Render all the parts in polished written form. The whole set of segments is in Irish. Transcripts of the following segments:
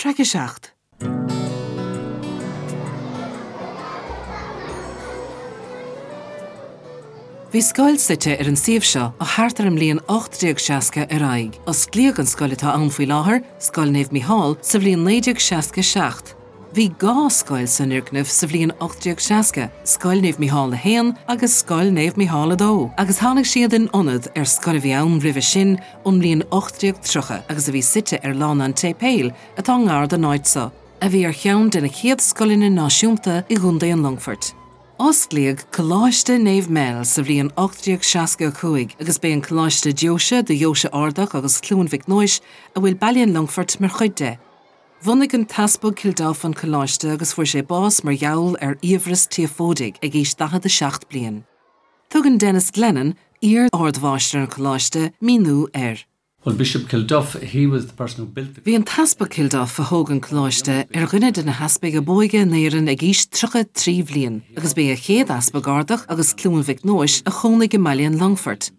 Traic 7. Bhí scoil suite ar an suíomh seo ó thart ar an mbliain 1860 ar aghaidh. Osclaíodh an scoil atá ann faoi láthair, Scoil Naomh Mícheál, sa bhliain 1967. Bhí 2 scoil san fhoirgneamh sa bhliain 1860, Scoil Naomh Mícheál 1 agus Scoil Naomh Mícheál 2, agus tháinig siad in ionad ar scoil a bhí ann roimhe sin ón mbliain 1830 agus a bhí suite ar Lána an tSéipéil atá ngar don áit seo, a bhí ar cheann de na chéad scoileanna náisiúnta i gContae an Longfoirt. Osclaíodh Coláiste Naomh Mel sa bhliain 1865 agus b'é an coláiste deoise do Dheoise Ardach agus Chluain Mhic Nóis a bhfuil Baile an Longfoirt mar chuid de. Bhunaigh an tEaspag Kilduff an coláiste agus fuair sé bás mar gheall ar fhiabhras tíofóidigh ag aois 47 bliain. Tugann Denis Glennon, iar-ardmháistir an choláiste, míniú air. Well Bishop Kilduff, he was the person who built the. Bhí an tEaspag Kilduff, a thóg an coláiste, ar dhuine de na heaspaig ab óige in Éirinn ag aois 33 bhliain, agus b'é a chéad easpag Ardach agus Cluain Mhic Nóis a chónaigh i mBaile an Longfoirt.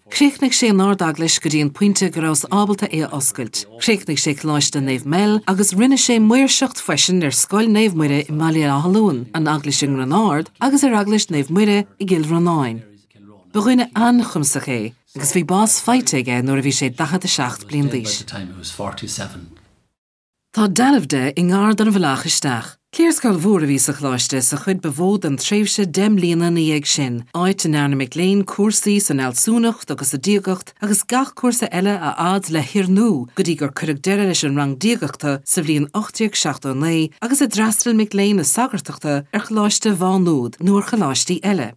Chríochnaigh sé an Ard-Eaglais go dtí an pointe go rabhthas ábalta é a oscailt. Chríochnaigh sé Coláiste Naomh Mel agus rinne sé maoirseacht freisin ar Scoil Naomh Muire i mBaile Átha Luain, an Eaglais i nGránard agus ar Eaglais Naomh Muire i gCill Rónáin. Ba dhuine an-chumasach é agus bhí bás faighte aige nuair a bhí sé 47 bliain d'aois. Tá dealbh de i ngar don bhealach isteach. Cliarscoil mhór a bhí sa choláiste sa chuid ba mhó den tréimhse 10 mbliana ina dhiaidh sin, áit a ndearna mic léinn cúrsaí san fhealsúnacht agus sa diagacht agus gach cúrsa eile a fhad le hoirniú go dtí gur cuireadh deireadh leis an rang diagachta sa bhliain 1879 agus a d'fhreastail mic léinn na sagartachta ar Choláiste Mhá Nuad nó ar choláistí eile.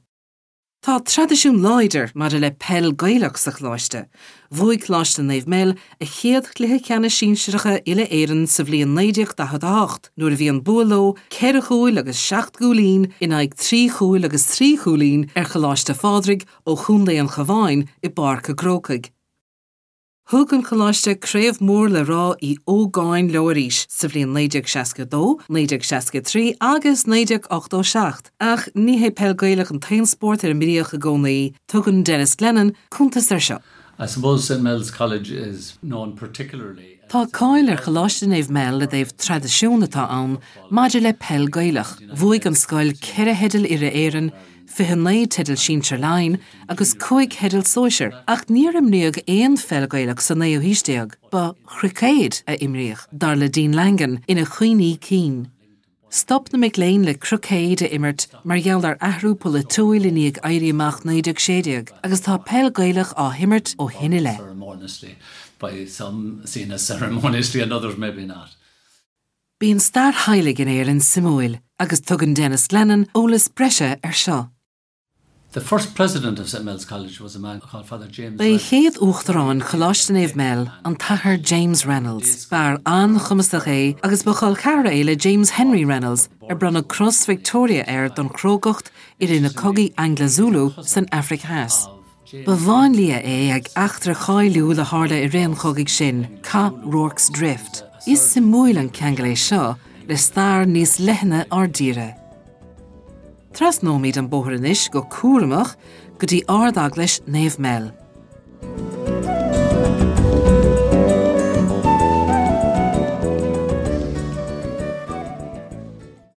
Tá traidisiún láidir maidir le peil Gaelach sa choláiste. Bhuaigh Coláiste Naomh Mel a chéad chluiche ceannais sinsearacha uile-Éireann sa bhliain 1948 nuair a bhí an bua leo ceithre chúil agus seacht gcúilín in aghaidh trí chúil agus trí chúilín ar Choláiste Phádraig ó Chontae an Chabháin i bPáirc an Chrócaigh. Thug an Coláiste craobh mór le rá Uí Ógáin leo arís sa bhliain 1962, 1963 agus 1987. Ach ní hé peil Gaelach an t-aon spórt ar imríodh i gcónaí, tugann Denis Glennon cuntas air seo. I suppose St Mel's College is known particularly. Tá cáil ar Choláiste Naomh Mel i dtaobh traidisiún atá ann maidir le peil Gaelach. Bhuaigh an scoil ceithre theideal Uile-Éireann, 29 teideal Sinsir Laighean agus 5 theideal Sóisir, ach níor imríodh aon pheil Ghaelach sa naoú haois déag, ba chruicéad a imríodh, dar le Dean Langan ina chuimhní cinn. Stop na mic léinn le cruicéad a imirt mar gheall ar athrú polaitiúil i ndiaidh Éirí Amach 1916 agus tá peil Ghaelach á himirt ó shin i leith. Bíonn stair theaghlaigh in Éirinn suimiúil agus tugann Denis Glennon eolas breise air seo. The first president of St Mel's College was a man called Father James Ba é chéad Uachtarán Choláiste Naomh Mel an tAthair James Reynolds. B'fhear an-chumasach é agus ba chol ceathrar é le James Henry Reynolds ar bronnadh Cros Victoria air don chrógacht i rith na cogaí Angla-Zulu san Afraic Theas. Ba mháinlia é ag eachtra cháiliúil a tharla i rith an chogaidh sin, Cath Rorke's Drift. Is suimiúil an ceangal é seo le stair níos leithne ár dtíre. Trasnóimid an bóthar anois go cúramach go dtí Ard-Eaglais Naomh Mel.